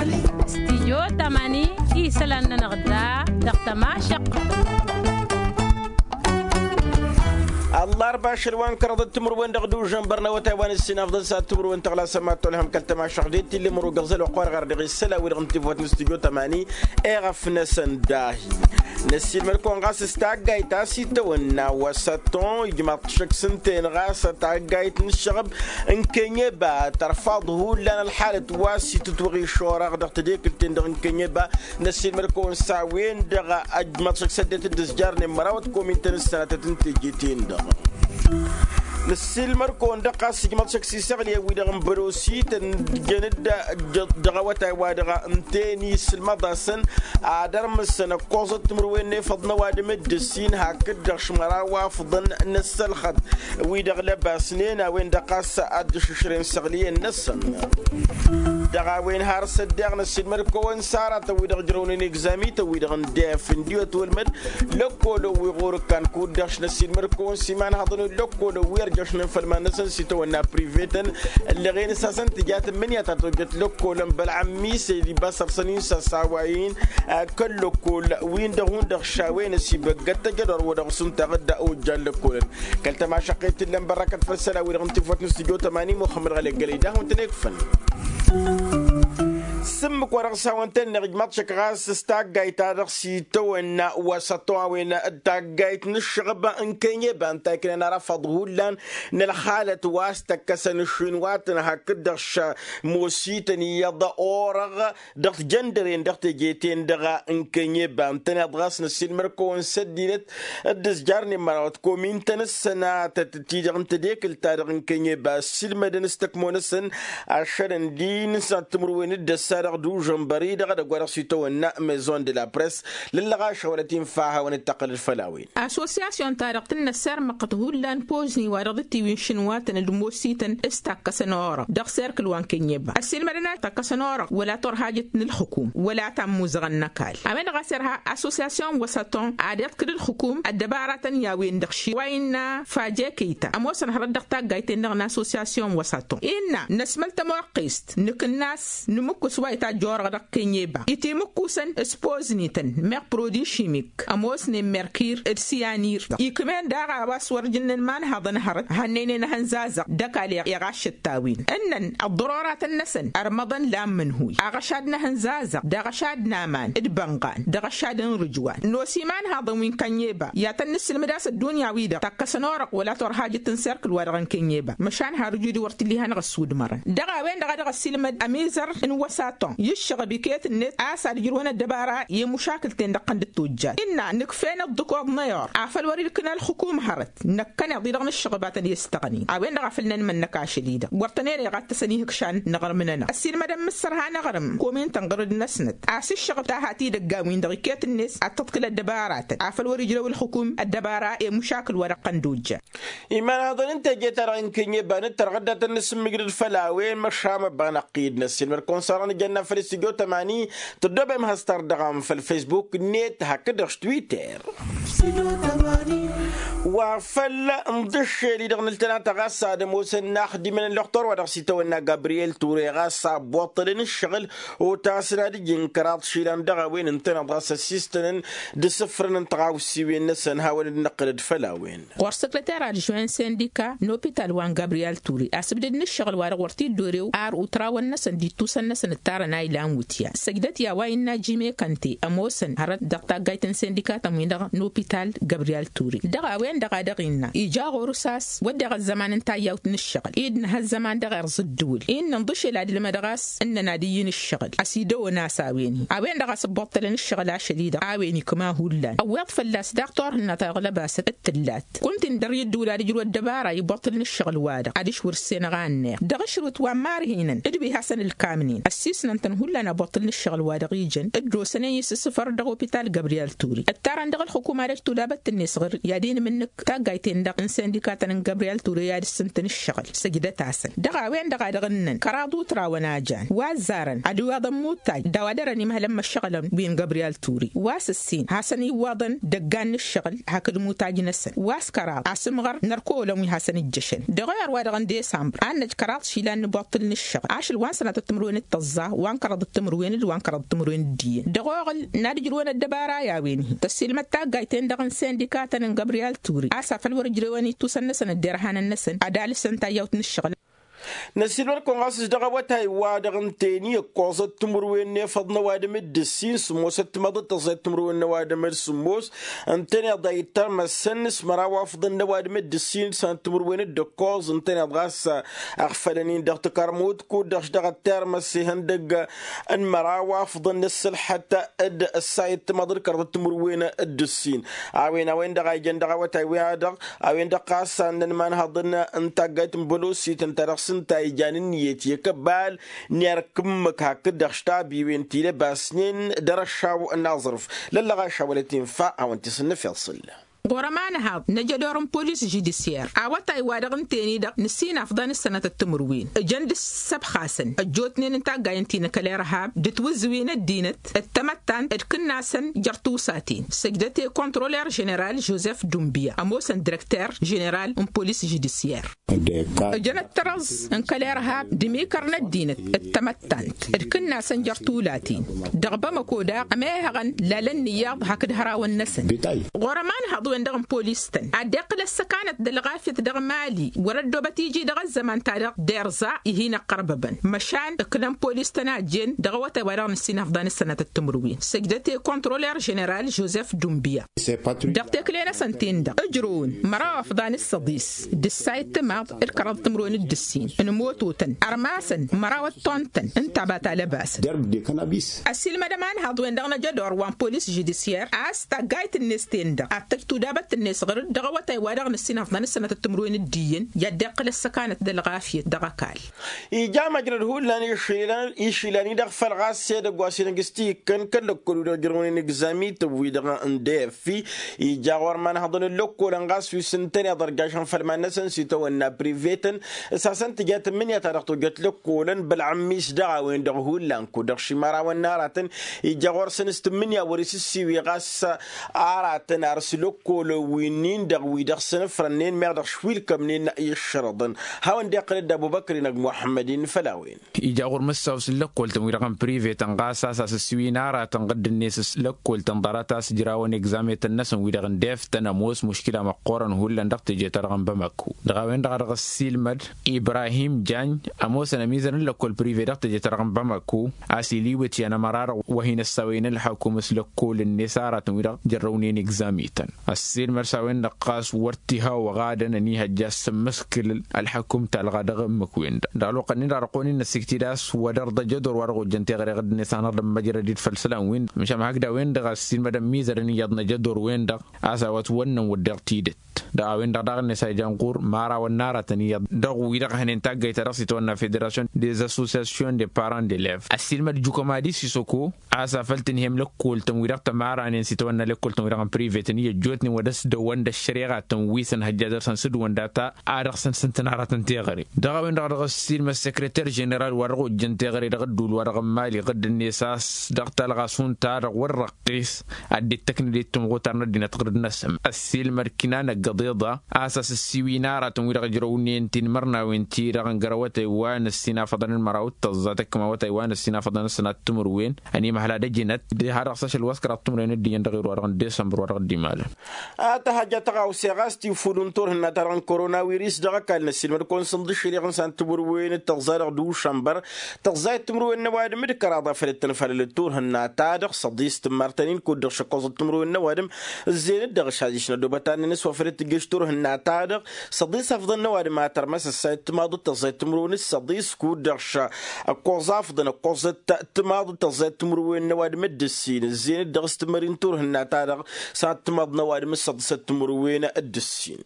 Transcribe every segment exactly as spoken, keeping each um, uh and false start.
Stijyo tamani isălan-nănăɣ da dăɣ-tămašăqq. Ăllarba ašăl wa n-kăraḍăt timǝrwen dăɣ-dužăn bărnăwătay wa n-ǝssin afḍăn s-ad-timǝrwen tăɣlasăm ad-tolhăm kăl-tămašăqq d-e-t illa imăru găẓăl wa qor ɣar dăɣ-isălan wi-dăɣ n-tifăwăt n-stijyo tamani. Eɣăf-năsăn dahi năssiilmăd-kăwăn ɣas s-taggayt a-s itawănna wa s-ătton ijmaḍ-t šăkk s-ǝnta-en ɣas taggayt n-ǝššăɣb n-kănyeba tărfaḍ hullan ălxalăt wa s-itǝtwăɣ išorăɣ dăɣ-tedekǝlt-en-dăɣ n-kănyeba. Năssiilmăd-kăwăn s-a-wen-dăɣ ăjmaḍ šăkk s-ăddinăt d-ǝzjarnen mărawăt komin-tăn s-sănatăt n-teje-ten-dăɣ. Năssiilmăd-kăwăn-dăɣ ɣas ǝjmaḍ šăkk s-isăɣlǝyăn-wi-dăɣ n-bărosi tăn-ǝjjăn-dd dăɣ-awătay-wa-dăɣ ǝnta-en isǝlmăḍ-asăn ad-ărmǝsăn ǝkkoẓăt timǝrwen n-efăḍ n-ăwadǝm d-ǝssin hakd-dăɣ šmăraw afḍăn n-ăssălxăt wi-dăɣ lăbasnen a-wen-dăɣ ɣas ad-dd-ǝššǝšrăyăn săɣlǝyăn-năsăn. Dăɣ-a-wen har s-ăddeeɣ năssiilmăd-kăwăn s-aratăn wi-dăɣ ǝjrăwnen egzamităn wi-dăɣ n-def n-diwăt wălmăd lăkkolăn wi ɣur-ǝkkan kud-dăɣ š-năssiilmăd-kăwăn s-imanhaḍăn wi n-lăkkolăn wi ărjăšnen făll-iman-năsăn s-itawănna privetăn. Ǝllăɣen s-hasăn-tǝja tǝmmǝnǝya ta tojjăt lăkkolăn bălɣăm misăy d-ibasărsăn-in s-a-s a-wa-in kăl-lăkkol-win-dăɣ hundăɣ šawen ăsibăggăt tăjădor wa dăɣ-s untaɣ-dd ojjan lăkkolăn. Kăl-tămašăqqet t-illa n-bărrakăt făll-isălan wi-dăɣ n-tifăwăt n-studyo tămani muxămmăd ɣălek gălăy dahu n-tăn-ekfăn. S-ǝmmǝk wa dăɣ-s hawăn-tăn-neɣ ijmaḍ šăkk ɣas s-taggayt ta dăɣ-s itawănna wa s-ătto a-wen d-taggayt n-ǝššăɣb n-kănyeba ǝnta a iknan arăfaḍ hullan n-ălxalăt wa s-tăkkăsăn ǝššǝnwatăn hakd-dăɣ šămosităn iyyăḍ orăɣ dăɣ-tijăndăren dăɣ-teje-ten-dăɣ n-kănyeba ǝntăneḍ ɣas năssiilmăd-kăwăn s-ăddinăt d-ǝzjarnen mărawăt komin-tăn s-sănatăt ti-dăɣ n-tedekǝlt-ta-dăɣ n-kănyeba ăssiilmădăn s-tăkmo-năsăn ašăl ǝndin s-ad-timǝrwen d-ăssa dăɣ-dužănbăr-i-dăɣ edăgg wa dăɣ-s itawănna maison de la press. Lăllăɣaš a wălăt-infa a hawăn-dd-tăqqǝlăd făll-a-wen. Assosyasyon-ta-dăɣ tǝnnăs irmăqqăt hullan pozni wa dăɣ-dd-tiwin šǝnwatăn d-ămoosităn s-takkăsăn orăɣ dăɣ-serkǝl wa n-kănyeba ăssiilmădăn a takkăsăn orăɣ wăla turhajăt n-ălxǝkum wăla ta n-imuzăɣăn n-ăkall. A-wen-dăɣ a s-irha assosyasyon wa s-ătton ad-iḍkǝl ǝlxǝkum ăddăbaratăn i-a-wen-dăɣ ši wa innă fajekăyta ămoosăn hărăt dăɣ-taggayt-en-dăɣ n-assosyasyon wa s-ătton innă năsmăl tămoqqest nǝkǝnnas nǝmǝkkus wa itajj orăɣ dăɣ-kănyeba itimǝkkusăn s-poznităn meɣ produit šimik ămoosnen merkir d-siyanir ikm'-en daɣ a-wa s-wăr jǝnnen imanhaḍăn hărăt hannăynen ehăn zazăɣ d-ăkall iɣaššăt-t-a-wen ǝnnăn ăḍḍăroratăn-năsăn ărmăḍăn la n-imǝnhuy aɣăšad n-ehăn zazăɣ d-aɣăšad n-aman d-bănɣan d-aɣăšad n-rǝjwan n-osi imanhaḍăn wi n-kănyeba i-ad-tăn-nǝssǝlmǝd a-s ăddunya-wi-dăɣ takkăsăn orăɣ wăla turhajăt n-serkǝl wa dăɣ-n kănyeba măšan harǝj-dd wăr t-illa ihănăɣ-ăssudmărăn dăɣ-a-wen-dăɣ a dăɣ-ăssiilmăd ămizăr n-wăsatăn i-ǝššăɣăb iket-net a-s ad-ǝjrǝwăn ăddăbara i-mušakǝl-ten-dăɣ ɣǝnd-tojjat innă nǝkf'-en ăḍḍǝkoḍ n-ayur afăl wăr-ilkǝn ălxǝkum hărăt năkkăneḍ-i-dăɣ n-ǝššăɣǝb a tăn-e-ǝstăɣnin a-wen-dăɣ a făl nănmănnăk ašăl-i-dăɣ wăr tăn-ere iɣattăsăn ihǝkšan n-aɣrǝm-nănăɣ ăssiilmădăn mǝssărha n-aɣrǝm komin-tăn ɣur-dd-năsnăt a-s ǝššăɣǝb ta hat-idăggan-win-dăɣ iket-net ad-tǝḍkǝl ăddăbaratăn afăl wăr-ijrăw ǝlxǝkum ăddăbara i-mušakǝl wa dăɣ-tăn-dd-ojja. Imanhaḍăn n-teje-ta-dăɣ n-kănyeba nǝttărɣ dd-ad-tăn-nǝsǝmmǝjrǝd făll-a-wen măšan măbba năqqid năssiilmăd-kăwăn s-arăn ǝjănna făll-studyo tămani tăddobem has-tărdăɣăm făll-facebook-net hakd-dăɣ s-twitter. Wa făll-inḍǝššel-i-dăɣ nǝltănatăɣ a-s ad-ămoosăn inaxdimăn ălluxtor wa dăɣ-s itawănna gabriyel ture ɣas abboṭṭălăn ǝššăɣǝl otasăn ad-ǝjǝn kăraḍ išilan dăɣ-a-wen ǝntăneḍ ɣas ăssistănăn d-asǝfrăn n-tiɣawsiwen-năsăn hawăn-dd-năqqǝlăd făll-a-wen. Ɣur-săkrăter ad-žwen sindika n-opital wa n-gabriyel ture asǝbdăd n-ǝššăɣǝl wa dăɣ-wăr t-dd-orew ar utrawăn-năsăn d-ittusăn-năsăn ǝttarăn a ilan wǝtyan săjdăt i-a-wa innă jime kănte ămoosăn hărăt dăɣ-taggayt n-sindikatăn-win-dăɣ n-opital gabriyel ture dăɣ-a-wen-dăɣ a dăɣ-innă ija ɣur-s a-s wădden ăzzăman n-tayyawt n-ǝššăɣǝl i-dd nǝha ăzzăman dăɣ-erẓ ǝddǝwǝl-i n-inḍǝšel ad-ǝlmădăɣ a-s ǝnnăn ad-ǝyyǝn ǝššăɣǝl ăsidăwăn a-s a-wen-i a-wen-dăɣ a-s ǝbbuṭṭălăn ǝššăɣǝl ašăl-i-dăɣ a-wen ikma hullan ăwweḍ fălla-s daɣ turhǝnna ta dăɣ-lăbasăt d-tǝllat kunta-in dăr-i ǝddǝwǝl ad-ǝjrǝw ăddăbara ibuṭṭǝlăn ǝššăɣǝl-wa-dăɣ ad-išwǝr ǝssenăɣ a ǝnneɣ dăɣ-ašrǝwt wa n-imarhinăn d-wi hasăn-ǝlkamnen ăssiisnăn-tăn hullan abuṭṭǝl n-ǝššăɣǝl-wa-dăɣ ijăn dd-osănen isǝssǝfăr dăɣ-opital gabriyel ture ǝttarăn dăɣ-ălxukum ad-ăjtulabăt-net ɣǝr i-ad-inmǝnnǝk taggayt-en-dăɣ n-sindikatăn n-gabriyel ture i-ad-ǝssǝntǝn ǝššăɣǝl săjdăt-asăn dăɣ-a-wen-dăɣ a dăɣ-ǝnnăn kăraḍ utrawăn a jan wa ăzzarăn ad-iwaḍăn muttaj d-a-wa dăr-ănimhălăn măššăɣǝlăn wi n-gabriyel ture wa s-ǝssin hasăn-iwwaḍăn dăggan n-ǝššăɣǝl hakd mutaj-năsăn wa s-kăraḍ asǝmɣăr n-ărkăwălăn wi hasăn-ǝjjăšăn dăɣ-ăyăr wa dăɣ-n desambăr ad-năj kăraḍ išilan n-ibuṭṭǝl n-ǝššăɣǝl ašăl wa n-sănatăt timǝrwen d-tăẓẓa wa n-kăraḍăt timǝrwen d-wa n-kăraḍăt timǝrwen d-iyyăn dăɣ-oɣǝl n-ad-ǝjrǝwăn ăddăbara i-a-wen-hi tăssiilmăd taggayt-en-dăɣ n-sindika-tăn n-gabriyal turi a-s afăl wăr-ǝjrewăn ittusăn-năsăn ăddinărhan-năsăn ad-alǝsăn tayyawt n-ǝššăɣǝl. Năssiilmăd-kăwăn ɣas s-dăɣ-awătay-wa-dăɣ ǝntăyăn iyyăt koẓăt timǝrwen n-efăḍ n-ăwadǝm d-ǝssin sǝmmosăt timaḍăt tăẓẓayăt timǝrwen n-ăwadǝm d-sǝmmos ǝntăneḍ a ittărmăsăn s-măraw afḍăn n-ăwadǝm d-ǝssin d-sănăt timǝrwen d-ǝkkoẓ ǝntăneḍ ɣas ăɣfălăn-in dăɣ-takărmut kud-dăɣ š-dăɣ-ăttărmăs ihăndăgg n-măraw afḍăn n-ǝssǝlḥăt d-ăssayăt timaḍăt kăraḍăt timǝrwen d-ǝssin. A-wen a-wen-dăɣ a ijăn dăɣ-awătay-wa-dăɣ a-wen-dăɣ ɣas a ǝnnăn imanhăḍăn n-taggayt n-bălosit ǝnta-dăɣ s-ǝnta ijan ǝnniyăt i-akăbbal n-erk ǝmmǝk hakd-dăɣ štabiwen tilăbasnen dăr-ăššaw n-aẓrǝf lăllăɣaša wăla tinfa hawăn-t-isǝnnăf iḍsǝl. Ɣur-ămanhaḍ n-ajădor n-polis žudisyer awătay-wa-dăɣ ǝnten-i-dăɣ nǝssinafḍan s-sănatăt timǝrwen ǝjăn d-ǝssăbxasăn ăjjootnen n-taggayăn ti n-akăl irhab d-tiwǝzǝwin ăddinăt d-tamăttant d-kǝnnasăn jer-tiwsaten săjdăt i-kontroler ženeral jozef dumbia ămoosăn direkter ženeral n-polis žudisyer. Ǝjăn ăttărăẓ n-kăl-irhab d-imikăr n-ăddinăt d-tamăttant d-kǝnnasăn jer-tulaten dăɣ-bamăko daɣ ămehăɣăn lalăn n-iyyăḍ hakd hărawăn-năsăn. Ɣur-ămanhăḍ-wen-dăɣ n-polis-tăn ad-dd-iqqǝl ăssăkanăt d-ălɣafyăt dăɣ-mali wăr-ăddoobăt iji dăɣ-ăzzăman-ta-dăɣ d-irẓa ihi n-ăqqărbăbăn măšan ǝknăn polis-tăn a ăjjeen dăɣ-awătay wa dăɣ-nǝssin afḍan s-sănatăt timǝrwen săjdăt i-kontroler ženeral jozef dumbia. Dăɣ-tekle-năsăn-ten-dăɣ ǝjrǝwăn măraw afḍan s-săḍis d-ǝssayăt timaḍ d-kăraḍ timǝrwen d-ǝssin n-imototăn ărmasăn măraw ăttontăn n-taba ta lăbasăn. Ăssiilmădăm anhăḍ-wen-dăɣ n-ajădor wa n-polis žudisyer a-s taggayt-net-ten-dăɣ ad-tăj tudabăt-net ɣǝr-dd dăɣ-awătay wa dăɣ-nǝssin afḍan s-sănatăt timǝrwen d-iyyăn i-ad-dd-iqqǝl ăssăkanăt d-ălɣafyăt dăɣ-ăkall. Ija măjrăd hullan išilan-i-dăɣ făl ɣas edăgg wa s-inǝgg s-tikkăn kăl-lăkkol-wi-dăɣ ǝjrăwnen egzamităn-wi-dăɣ n-df ija ɣur-imanhăḍăn n-lăkkolăn ɣas wi s-ǝntăneḍ ărjašăn făll-iman-năsăn s-itawănna privetăn s-hasăn-tǝja tǝmmǝnǝya ta dăɣ-tojjăt lăkkolăn bălɣămmis dăɣ-a-wen-dăɣ hullan kud-dăɣ šimărawăn n-aratăn ija ɣur-săn s-tǝmmǝnǝya wăr-isǝssiwi ɣas aratăn ar s-lăkkolăn wi-nin-dăɣ wi dăɣ-săn ǝfrănnen meɣ dăɣ-š wi ǝlkămnen i-ǝššărăḍăn. Hawăn-dd-iqqǝl dd-ăbubăkr-in ăgg muḥămmăd-in făll-a-wen. Ija ɣur-mǝssaw s-lăkkoltăn wi-dăɣ n-privetăn ɣas a-s asǝssiwin aratăn ɣǝdd-net s-lăkkoltăn ḍarăt a-s ǝjrawăn egzametăn-năsăn wi-dăɣ n-deftăn ămoos muškila măqqoorăn hullan dăɣ-teje-ta-dăɣ n-bamako. Dăɣ-a-wen-dăɣ a dăɣ-ăssiilmăd ibrahim jañ ămoosăn ămizăr n-lăkkol prive dăɣ-teje-ta-dăɣ n-bamako a-s iliwǝt i-anămăra-dăɣ wa hin-ăssawăyăn ǝlḥăkum s-lăkkol-net aratăn wi-dăɣ jărrăwnen egzamităn. Ăssiilmăd s-a-wen-dăɣ ɣas wăr t-iha oɣadăn ănihăjja a-s sǝmmǝskǝl ălḥăkum talɣa dăɣ-ǝmmǝk-wen-dăɣ dăɣ-ălwăqq-nin-dăɣ dăɣ-kăwăn-in-năssiktid a-s wăr-dăɣ d-ajădor wa dăɣ-ojjăn teɣăre ɣǝdd-net a hanăɣ-dd-ămmăjrăd-dd făll-isălan-win-dăɣ măšan hakd a-wen-dăɣ ăssiilmădăn mizărăn iyyăḍ n-ajădor-wen-dăɣ a-s a-wa ătwănnăn wădden tidǝt. Dăɣ-a-wen-dăɣ daɣ-net a ijan ɣur-mara wănnarătăn iyyăḍ dăɣ-wi-dăɣ hănen taggăyt-ta-dăɣ s-itawănna federasyon des associations de parents d'elevs ăssiilmăd jukămadi sisăko a-s afăl tǝnhăyăm lăkkoltăn wi-dăɣ tămaranen s-itawănna lăkkoltăn wi-dăɣ n-privetăn i-ăjjootnen wa dăr-s dăwăn d-ăššăreɣatăn wi s-ănhăjja dăr-săn s-dd-wănda ta a dăɣ-săn s-ǝntǝnarătăn teɣăre. Dăɣ-a-wen-dăɣ dăɣ-ăssiilmăd sekreter ženeral wa dăɣ-ojjăn teɣăre dăɣ-ădduul wa dăɣ-n mali ɣǝdd-net a-s dăɣ-talɣa šund-ta-dăɣ wăr răqqis ad-dd-ittăknăd i-timɣutar n-ăddinăt ɣǝrǝd-năsăn ăssiilmăd kinan ăggăḍeḍa a-s asǝssiwin aratăn wi-dăɣ ǝjrăwnen tinmărnawen-ti-dăɣ n-găr awătay wa n-ăssinafăḍăn n-măraw d-tăẓẓa tăkkăm awătay wa n-ăssinafăḍăn n-sănat timǝrwen ănimăhla d-ejǝnăt d-hadăɣ s-ašăl wa s-kăraḍ timǝrwen d-iyyăn dăɣ-iru wa dăɣ-n desămbăr wa dăɣ-dd-imalăn. A tăhăjja tăɣawse ɣas tifulun turhǝnna-ta-dăɣ n-koronawiris dăɣ-ăkall n-ăssiilmăd-kăwăn sǝnḍǝššăriɣ n-sănat timǝrwen d-tăẓẓa dăɣ-dušămbăr tăẓẓa i-timǝrwen n-ăwadǝm d-kăraḍ a făl dd-tănfalălăd turhǝnna-ta-dăɣ săḍis tǝmmartăn-in kud-dăɣ šăkkoẓăt timǝrwen n-ăwadǝm ǝzzeyăn-dd dăɣ-ašadǝš n-ădobăt annăn s-wa făl dd-tǝjjăš turhǝnna-ta-dăɣ săḍis afḍăn n-ăwadǝm a tărmăs ăssayăt timaḍ d-tăẓẓayăt timǝrwen d-săḍis kud-dăɣ š-ăkkoẓ afḍăn ăkkoẓăt timaḍ d-tăẓẓayăt timǝrwen n-ăwadǝm d-ǝssin ǝzzeyăn-dd dăɣ-s tǝmări n-turhǝnna-ta-dăɣ s-ad-timaḍ n-ăwadǝm d-săḍisăt timǝrwen d-ǝssin.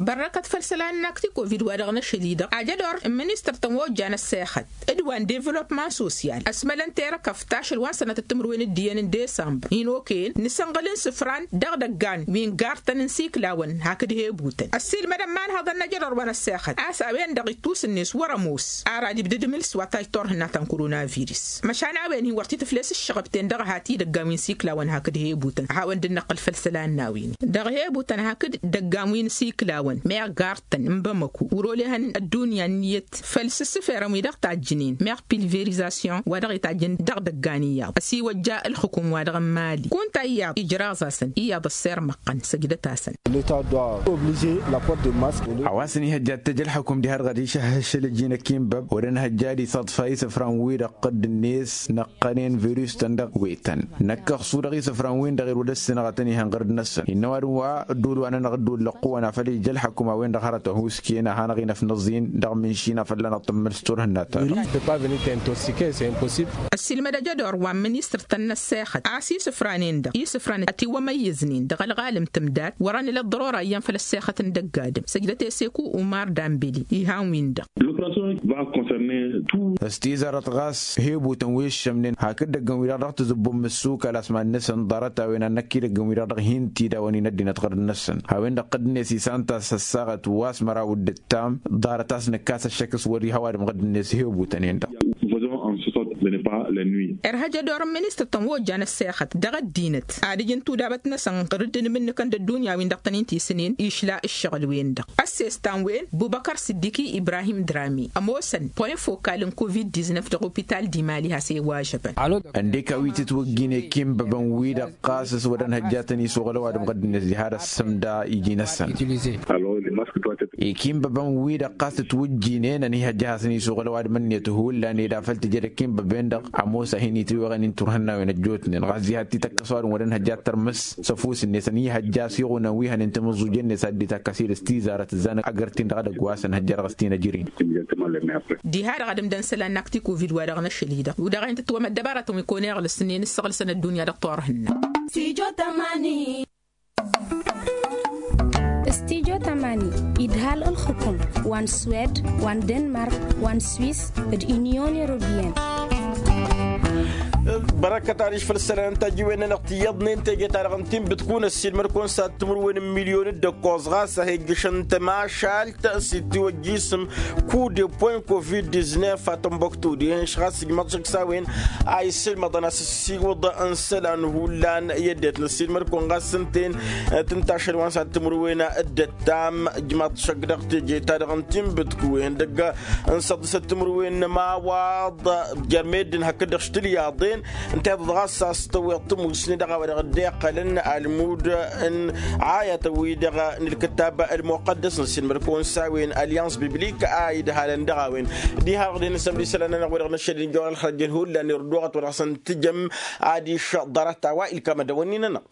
Bărrăkăt făll-isălan n-akti kovid wa dăɣ-năšăl-i-dăɣ ajădor n-ministăr-tăn wa ojjan ăssexăt d-wa n-devălopman sosyal ăsmălăn terăkăft ašăl wa n-sănatăt timǝrwen d-iyyăn n-desămbăr inoken nǝsǝnɣǝl n-isǝfran dăɣ-idăggan wi n-gartăn n-isiklawăn hakd hebutăn ăssiilmădăn imanhăḍăn n-ajădor wa n-ăssexăt a-s a-wen-dăɣ ittus-net wăr-ămoos ara d-ibdǝd imǝls wa tajj turhǝnna ta n-koronavirus măšan a-wen-hi wăr t-tǝfles ǝššăɣăb-ten dăɣ-hat idăggan wi n-isiklawăn hakd hebutăn a hawăn-dd-năqqǝl făll-isălan n-a-wen-i dăɣ-hebutăn hakd Ǝssǝfrănăɣ-t-dd dăggan wi n-isiklawăn meɣ gartăn n-bamăku wăr-olehăn ăddunya ǝnniyăt făll-s ǝssǝferăn wi-dăɣ tajjǝnen meɣ pilverizasyon wa dăɣ-itajjăn dăɣ-idăggan iyyăḍ ăsiwăjja ǝlxǝkum-wa-dăɣ n-mali kunta iyyăḍ ijraẓ-asăn iyyăḍ ăssirmăɣ-tăn săjdăt-asăn. A-wa s-ănihăjja ad-t-ăj ălxǝkum diha-dăɣ ad-išăhhǝš ălăjjin ăkinbăb wăr-ănhăjja ad-isaḍfa isǝfran-wi-dăɣ ɣǝdd-net năqqănen virus-tăn dăɣ-wetăn năkkăɣsu dăɣ-isǝfran-win-dăɣ irwăd ăssinăɣătăn ihăn ɣărd-năsăn innă ăwadǝm wa ădduul wa n-anăɣ-dd-wăllăqqǝwăn afăl ija ălxăkum a-wen-dăɣ hărătăn husken a hanăɣ-inăfnăẓ-in dăɣ-minši n-afăl lanăɣ-tǝmmǝl s-turhǝnna-ta-dăɣ. Ăssiilmăd ăjădor wa n-ministăr-tăn n-ăssexăt a-s isǝfranen-dăɣ isǝfran ătiwămăyyǝznen dăɣ-ălɣalăm tǝmdat wăr-ănǝlăt ḍărora iyyăn făll-ăssexăt n-dăgg-adǝm săjdăt eseku umar dambeli. Iha n-win-dăɣ. S-tizarăt ɣas hebutăn wi ǝššămnen hakd idăggăn-wi-dăɣ dăɣ-tǝzǝbbum mǝssukal asman-năsăn ḍarăt-a-wen ad-năkk idăggăn-wi-dăɣ dăɣ-hin-tidawăn-in ăddinăt ɣărd-năsăn a-wen-dăɣ ɣǝdd-net isan-t a-s ăssaɣăt wa s-măraw d-ǝttam ḍarăt a-s nǝkkas ăššăk s-wăr-iha ăwadǝm ɣǝdd-net hebutăn-en-dăɣ. Irhăj ădor n-ministăr-tăn wa ojjan ăssexăt dăɣ-ăddinăt ad-ǝj n-tudabăt-năsăn ɣǝrǝd n-imǝnnǝkăn d-ăddunya-win-dăɣ tăn-in-tisǝnen išla ǝššăɣǝl-wen-dăɣ ăssestan-wen bubăkăr s-dd-iki ibrahim drami ămoosăn point fokal n-covid-diznăf dăɣ-opital d-imali has-e-iwažăbăn. Ăndek a-wi tǝtwǝjjin ekinbăbăn-wi-dăɣ ɣas s-wăr-ănhăjjatăn isuɣǝl ăwadǝm ɣǝdd-net diha d-ăssǝmda iji-năsăn. Ikinbăbăn-wi-dăɣ ɣas tǝtwǝjjinen ănihăjja ad-hasăn-isuɣǝl ăwadǝm-net hullan ed afăl tǝjăd ekinbăben-dăɣ ămoos a hin-itǝweɣăn-in turhǝnnawen ăjjootnen ɣas diha t-ităkkăs ăwadǝm wăr-ănhăjja ad-tărmǝs s-ăfuss-net ănihăjja a-s iɣunăn wi hănen tamǝẓẓujen-net ad-dd-ităkkăs-dd s-tizarăt tǝzzanăg agărt-in-dăɣ edăgg wa s-ănhăjja dăɣ-s t-inăjrǝy. Diha-dăɣ ad-ǝmdăn isălan n-akti covid wa dăɣ-năšăl-i-dăɣ u-dăɣ a hin-tǝtwămăd dăbaratăn wi kăwăn-iɣlǝsnen s-iɣlǝsăn ăddunya dăɣ-turhǝnna. Stijo tamani idhal ǝlxǝkum wa n-swed wa n-denmark wa n-swis d-inyon europiyăn. Bărăkăt adiš făll-isălan n-tajiwen-nănăɣ tiyyăḍnen teje-ta-dăɣ n-tinbǝtkun ăssiilmăd-kăwăn s-ad-timǝrwen n-milyun d-ǝkkoẓ ɣas a hi-ǝjjǝšăn tămašalt s-itiwăjjisǝm kude point covid-diznef a tănbăktu dihen š-ɣas ǝjmăḍ šăkk s-a-wen a isǝlmăḍăn a-s ǝssiwǝḍ n-isălan hullan i-ăddinăt n-ăssiilmăd-kăwăn ɣas ǝnta-en. Tǝnta ašăl wa n-s-ad-timǝrwen d-ǝttam ǝjmăḍ šăkk dăɣ-teje-ta-dăɣ n-tinbǝtku ihăndăgg n-săḍisăt timǝrwen n-ămawaḍ jer-meddǝn hakd-dăɣ š-tilyaḍen. Ǝnta-i-dăɣ ɣas a-s tăwweḍ tămusne dăɣ-a-wa dăɣ-dd-iqqălăn almud n-ayătăn-wi-dăɣ n-ǝlkǝtab ălmuqăddăs n-ăssiilmăd-kăwăn s-a-wen alyans biblik a idhalăn dăɣ-a-wen. Diha-dăɣ dăɣ-hin-nǝsămd isălan-nănăɣ wi-dăɣ năššăl injăwăn ălxărăjjăn hullan irduɣăt wa dăɣ-săn tǝjăm adiš ḍarăt-a-wa ilkam ad-dăwănni-nănăɣ.